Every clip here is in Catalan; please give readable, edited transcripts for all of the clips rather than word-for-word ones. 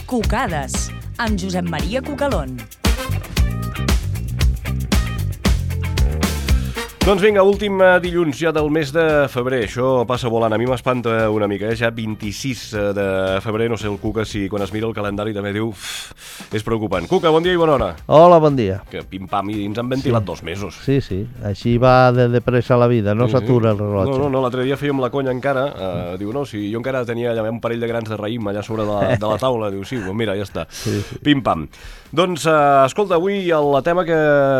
Cucades, amb Josep Maria Cucalón. Doncs vinga, últim dilluns ja del mes de febrer. Això passa volant. A mi m'espanta una mica, Ja 26 de febrer, no sé el Cuca si quan es mira el calendari també diu... És preocupant. Cuca, bon dia i bona hora. Hola, bon dia. Que pim-pam, i ens han ventilat 2 mesos. Sí, així va de pressa la vida, no s'atura el rellotge. No, l'altre dia fèiem la conya encara. Diu, no, si jo encara tenia un parell de grans de raïm allà sobre de la taula. Diu, sí, mira, ja està. Sí. Pim-pam. Doncs, escolta, avui el tema que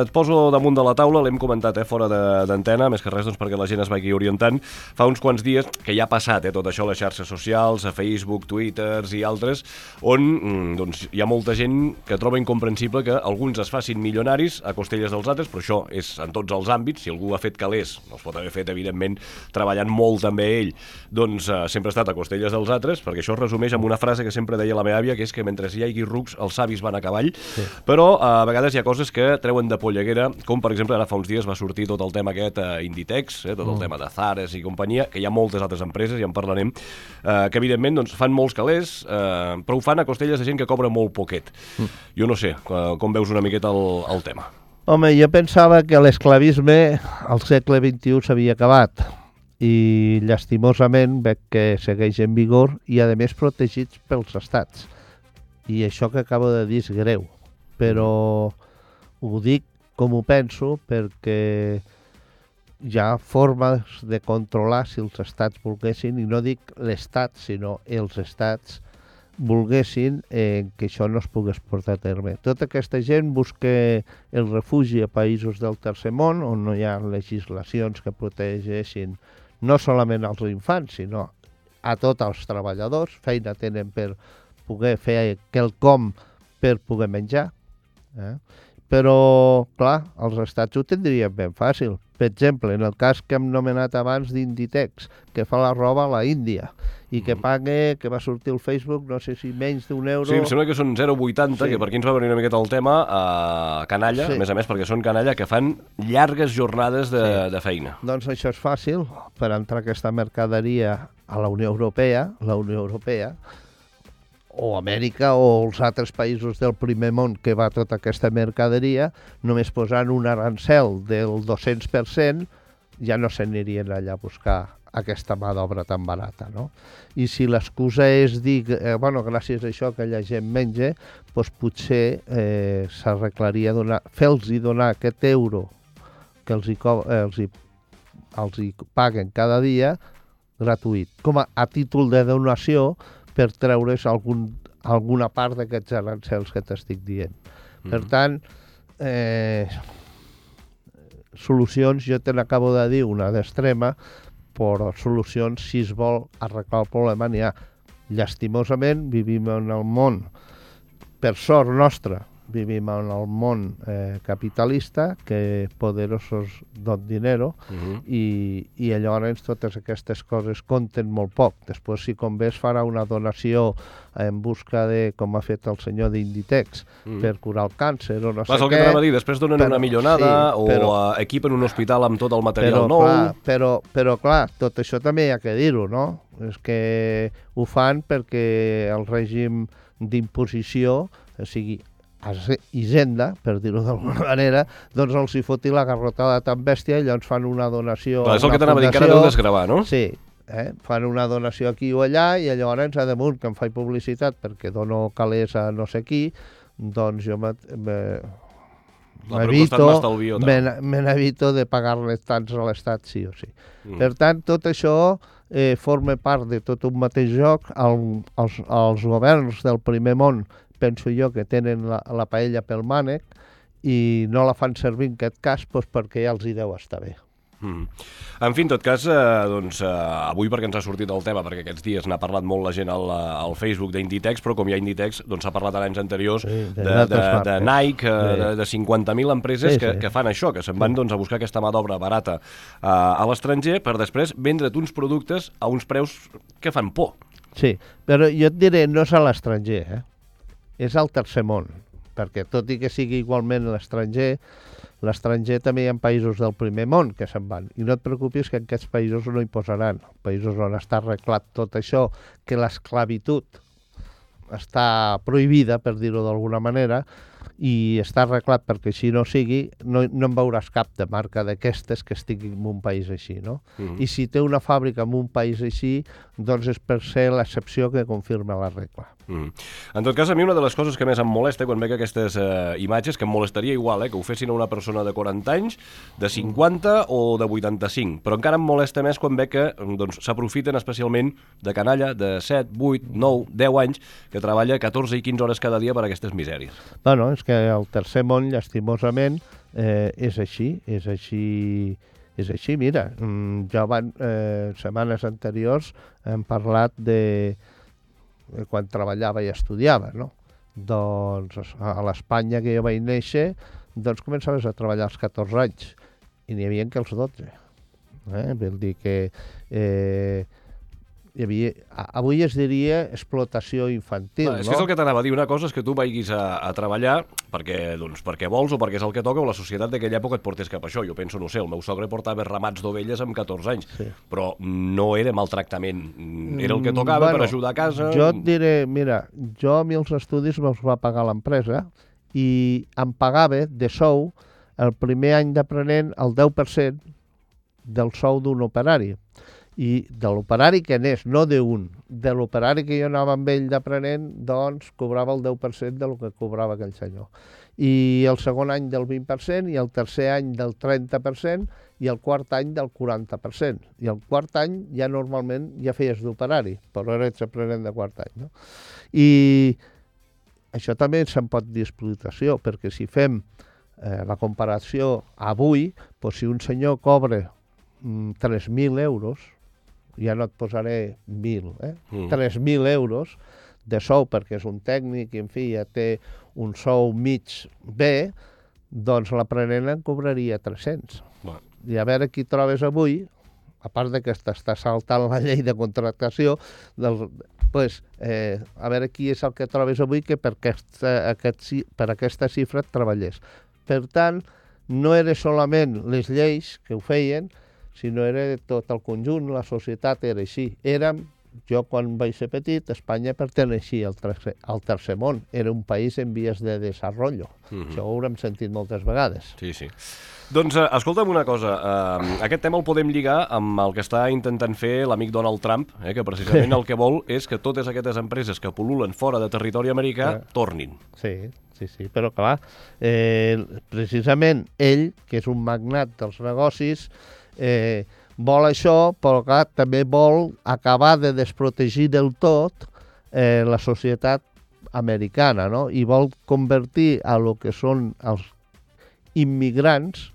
et poso damunt de la taula l'hem comentat fora d'antena, més que res doncs, perquè la gent es vagi orientant. Fa uns quants dies que ja ha passat tot això a les xarxes socials, a Facebook, Twitter i altres, on doncs, hi ha molta gent que troba incomprensible que alguns es facin milionaris a costelles dels altres, però això és en tots els àmbits. Si algú ha fet calés, no es pot haver fet, evidentment, treballant molt també ell, doncs sempre ha estat a costelles dels altres, perquè això es resumeix amb una frase que sempre deia la meva àvia, que és que mentre hi hagi rucs, els savis van a cavall. Sí. Però a vegades hi ha coses que treuen de polleguera, com per exemple ara fa uns dies va sortir tot el tema aquest Inditex, tot el tema de Zares i companyia, que hi ha moltes altres empreses, ja en parlarem, que evidentment doncs, fan molts calés, però ho fan a costelles de gent que cobra molt poquet. Jo no sé, com veus una miqueta el tema? Home, jo pensava que l'esclavisme al segle XXI s'havia acabat i llastimosament veig que segueix en vigor i a més protegits pels estats. I això que acabo de dir és greu, però ho dic com ho penso perquè hi ha formes de controlar si els estats volguessin, i no dic l'estat, sinó els estats volguessin que això no es pogués portar a terme. Tota aquesta gent busca el refugi a països del tercer món, on no hi ha legislacions que protegeixin no solament als infants, sinó a tots els treballadors, feina tenen per poder fer quelcom per poder menjar. Però, clar, els estats ho tindrien ben fàcil. Per exemple, en el cas que hem nomenat abans d'Inditex, que fa la roba a la Índia i que paga, que va sortir al Facebook, no sé si menys d'un euro... Sí, em sembla que són 0,80, sí. Que per aquí ens va venir una miqueta el tema, canalla, sí. A més, perquè són canalla que fan llargues jornades de feina. Doncs això és fàcil, per entrar aquesta mercaderia a la Unió Europea, o Amèrica o els altres països del primer món que va tota aquesta mercaderia, només posant un arancel del 200%, ja no s'anirien allà a buscar aquesta mà d'obra tan barata, no? I si l'excusa és dir, gràcies a això que la gent menja, doncs potser s'arreglaria fer-los donar aquest euro que els hi paguen cada dia gratuït, com a títol de donació, per treure's alguna part d'aquests arancels que t'estic dient. Per tant, solucions, jo te n'acabo de dir una d'extrema, però solucions, si es vol arreglar el problema, n'hi ha. Llastimosament, vivim en el món, per sort nostra, vivim en el món capitalista, que poderosos don dinero, i llavors totes aquestes coses compten molt poc. Després, si convé, es farà una donació en busca de, com ha fet el senyor d'Inditex, per curar el càncer o no sé què. El que t'anava a dir, després donen una millonada o equipen un hospital amb tot el material nou. Però clar, tot això també hi ha que dir-ho, no? És que ho fan perquè el règim d'imposició, o sigui, Hisenda, per dir-ho d'alguna manera, doncs els hi foti la garrotada tan bèstia i llavors fan una donació... És el que t'anava a dir, encara deu desgravar, no? Sí, fan una donació aquí o allà i llavors, a damunt, que em faig publicitat perquè dono calés a no sé qui, doncs jo m'evito de pagar-les tants a l'Estat, sí o sí. Per tant, tot això forma part de tot un mateix joc. Els governs del primer món, penso jo, que tenen la paella pel mànec i no la fan servir en aquest cas perquè ja els hi deu estar bé. En fi, en tot cas, avui perquè ens ha sortit el tema, perquè aquests dies n'ha parlat molt la gent al Facebook d'Inditex, però com hi ha Inditex, doncs s'ha parlat anys anteriors de Nike, de 50.000 empreses que fan això, que se'n van a buscar aquesta mà d'obra barata a l'estranger per després vendre't uns productes a uns preus que fan por. Sí, però jo et diré, no és a l'estranger, és al tercer món, perquè tot i que sigui igualment l'estranger també hi ha països del primer món que se'n van. I no et preocupis que en aquests països no hi posaran. Països on està arreglat tot això, que l'esclavitud està prohibida, per dir-ho d'alguna manera, i està arreglat perquè així no sigui, no en veuràs cap de marca d'aquestes que estigui en un país així, no? I si té una fàbrica en un país així, doncs és per ser l'excepció que confirma la regla. En tot cas, a mi una de les coses que més em molesta quan veig aquestes imatges, que em molestaria igual, que ho fessin a una persona de 40 anys, de 50 o de 85, però encara em molesta més quan veig que s'aprofiten especialment de canalla de 7, 8, 9, 10 anys que treballa 14 i 15 hores cada dia per a aquestes misèries. Bueno, és que el tercer món, llastimosament, és així, mira, ja setmanes anteriors hem parlat de quan treballava i estudiava, no? Doncs a l'Espanya que jo vaig néixer, doncs començaves a treballar als 14 anys i n'hi havia que als 12. Vol dir que hi havia, avui es diria explotació infantil, és que és el que t'anava a dir. Una cosa és que tu vagis a treballar perquè vols o perquè és el que toca, o la societat d'aquella època et portés cap a això. Jo penso, no sé, el meu sogre portava ramats d'ovelles amb 14 anys, però no era maltractament, era el que tocava per ajudar a casa. Jo et diré, mira, jo a mi els estudis me'ls va pagar l'empresa i em pagava de sou el primer any d'aprenent el 10% del sou d'un operari. I de l'operari que anés, no d'un, de l'operari que jo anava amb ell d'aprenent, doncs cobrava el 10% del que cobrava aquell senyor. I el segon any del 20%, i el tercer any del 30%, i el quart any del 40%. I el quart any ja normalment ja feies d'operari, però eres aprenent de quart any, no? I això també se'n pot dir explotació, perquè si fem la comparació avui, doncs si un senyor cobra 3.000 euros, ja no et posaré 1.000, 3.000 euros de sou perquè és un tècnic i en fi ja té un sou mig bé, doncs l'aprenent en cobraria 300. I a veure qui trobes avui, a part de que t'està saltant la llei de contractació, a veure qui és el que trobes avui que per aquesta xifra et treballés. Per tant, no era solament les lleis que ho feien, sinó era tot el conjunt, la societat era així. Jo quan vaig ser petit, Espanya perteneixia al tercer món, era un país en vies de desenvolupament. Això ho haurem sentit moltes vegades. Sí. Doncs escolta'm una cosa, aquest tema el podem lligar amb el que està intentant fer l'amic Donald Trump, que precisament el que vol és que totes aquestes empreses que pol·lulen fora de territori americà tornin. Sí, però clar, precisament ell, que és un magnat dels negocis, vol això, però clar, també vol acabar de desprotegir del tot la societat americana, no? I vol convertir a lo que són els immigrants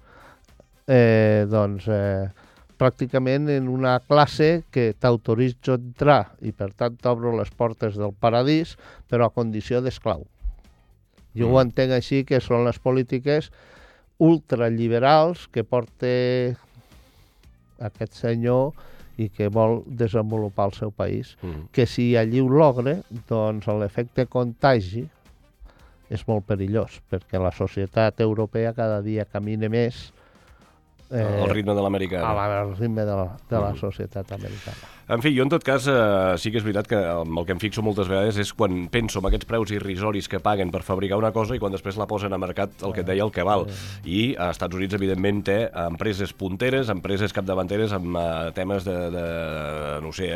pràcticament en una classe que t'autoritza a entrar i per tant t'obro les portes del paradís, però a condició d'esclau. Jo ho entenc així, que són les polítiques ultraliberals que porta aquest senyor i que vol desenvolupar el seu país, que si allí ho logra, doncs l'efecte contagi és molt perillós, perquè la societat europea cada dia camina més al ritme de l'americana. Al ritme de la societat americana. En fi, jo en tot cas sí que és veritat que el que em fixo moltes vegades és quan penso en aquests preus irrisoris que paguen per fabricar una cosa i quan després la posen a mercat, el que et deia, el que val. I als Estats Units, evidentment, té empreses punteres, empreses capdavanteres amb temes no sé,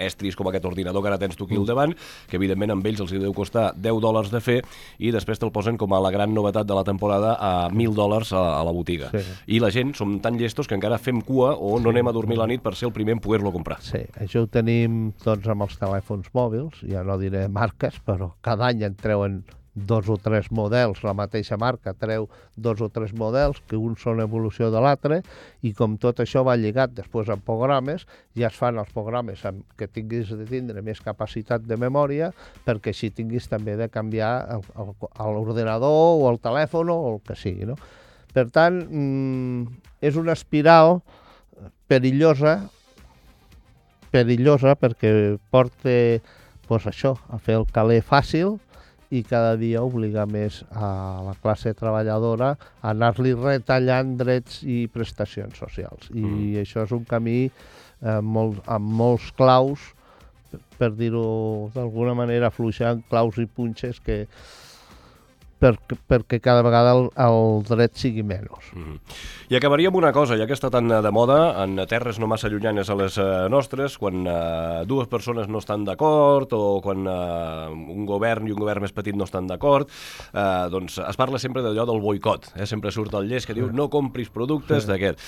estris com aquest ordinador que ara tens tu aquí al davant, que evidentment amb ells els deu costar $10 de fer i després te'l posen com a la gran novetat de la temporada a $1.000 a la botiga. I la gent som tan llestos que encara fem cua o no anem a dormir la nit per ser el primer en poder-lo comprar. Sí, això ho tenim doncs amb els telèfons mòbils, ja no diré marques, però cada any en treuen 2 o 3 models, la mateixa marca treu 2 o 3 models, que uns són evolució de l'altre, i com tot això va lligat després amb programes, ja es fan els programes que tinguis de tindre més capacitat de memòria, perquè així tinguis també de canviar l'ordenador o el telèfon o el que sigui, no? Per tant, és una espiral perillosa perquè porta això, a fer el caler fàcil i cada dia obligar més a la classe treballadora a anar-li retallant drets i prestacions socials. I això és un camí amb molts claus per dir-ho d'alguna manera, afluixant claus i punxes perquè cada vegada el dret sigui menys. I acabaria amb una cosa, ja que està tan de moda, en terres no massa llunyanes a les nostres, quan dues persones no estan d'acord o quan un govern i un govern més petit no estan d'acord, doncs es parla sempre d'allò del boicot. Sempre surt el llest que diu no compris productes d'aquest.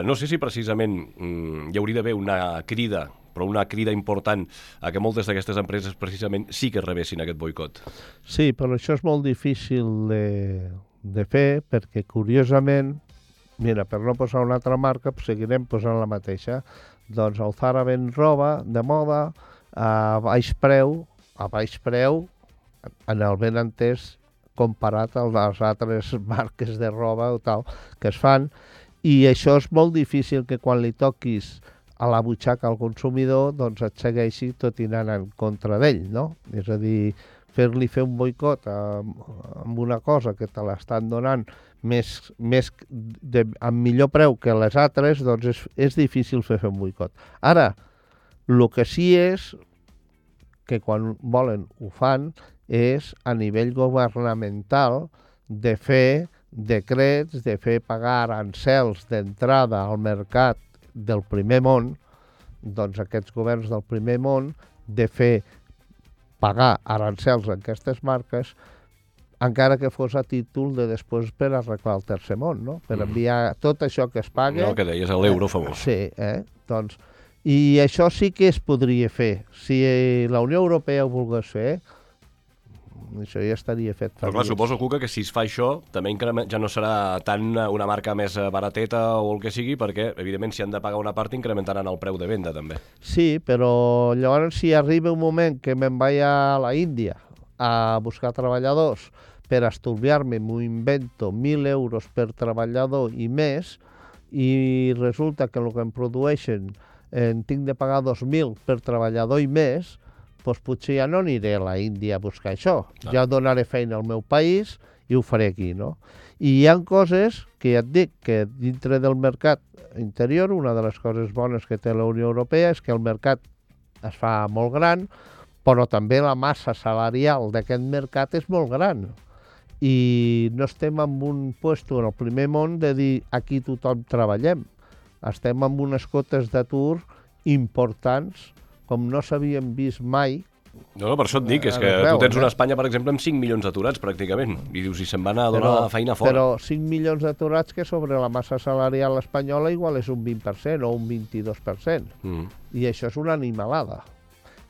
No sé si precisament hi hauria d'haver una crida, però una crida important a que moltes d'aquestes empreses precisament sí que rebessin aquest boicot. Sí, però això és molt difícil de fer perquè, curiosament, mira, per no posar una altra marca, seguirem posant la mateixa. Doncs el Zara ven roba de moda a baix preu, en el ben entès, comparat a les altres marques de roba o tal que es fan, i això és molt difícil que quan li toquis a la butxaca al consumidor, doncs et segueixi tot i anant en contra d'ell, no? És a dir, fer-li fer un boicot amb una cosa que te l'estan donant amb millor preu que les altres, doncs és difícil fer un boicot. Ara, el que sí és, que quan volen ho fan, és a nivell governamental de fer decrets, de fer pagar arancels d'entrada al mercat del primer món, doncs aquests governs del primer món, de fer pagar arancels a aquestes marques, encara que fos a títol de després per arreglar el tercer món, no? Per enviar tot això que es paga... El que deies, l'euro famós. Sí, doncs... I això sí que es podria fer. Si la Unió Europea ho volgués fer, això ja estaria fet. Però clar, suposo, Cuca, que si es fa això, també ja no serà tant una marca més barateta o el que sigui, perquè, evidentment, si han de pagar una part, incrementaran el preu de venda, també. Sí, però llavors si arriba un moment que me'n vaig a la Índia a buscar treballadors per estalviar-me, m'ho invento, 1.000 euros per treballador i més, i resulta que el que em produeixen tinc de pagar 2.000 per treballador i més, doncs potser ja no aniré a la Índia a buscar això. Ja donaré feina al meu país i ho faré aquí, no? I hi ha coses que ja et dic que dintre del mercat interior, una de les coses bones que té la Unió Europea és que el mercat es fa molt gran, però també la massa salarial d'aquest mercat és molt gran. I no estem en un puesto en el primer món de dir aquí tothom treballem. Estem amb unes cotes d'atur importants com no s'havien vist mai. No, per això et dic, és que tu tens una Espanya, per exemple, amb 5 milions d'aturats, pràcticament, i dius, i se'n van a donar feina fora. Però 5 milions d'aturats que sobre la massa salarial espanyola igual és un 20% o un 22%. I això és una animalada.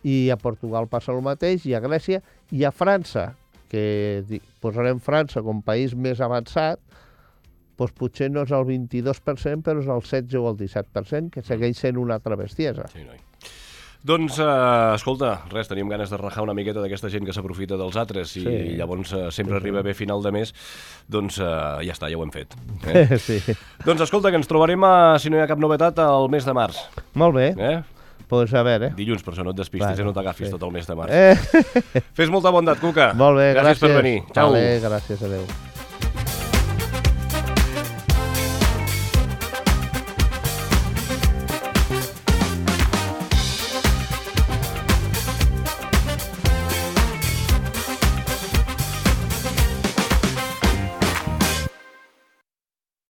I a Portugal passa el mateix, i a Grècia, i a França, que posarem França com país més avançat, doncs potser no és el 22%, però és el 16 o el 17%, que segueix sent una altra bestiesa. Sí, noi. Doncs, escolta, res, teníem ganes de rajar una miqueta d'aquesta gent que s'aprofita dels altres i llavors sempre arriba bé final de mes, doncs ja està, ja ho hem fet. Sí. Doncs escolta, que ens trobarem, si no hi ha cap novetat, al mes de març. Molt bé. Pues a veure. Dilluns, per això no et despistis, no t'agafis tot el mes de març. Fes molta bondat, Cuca. Molt bé, gràcies. Gràcies per venir. Ciao. Vale, gràcies, adeu.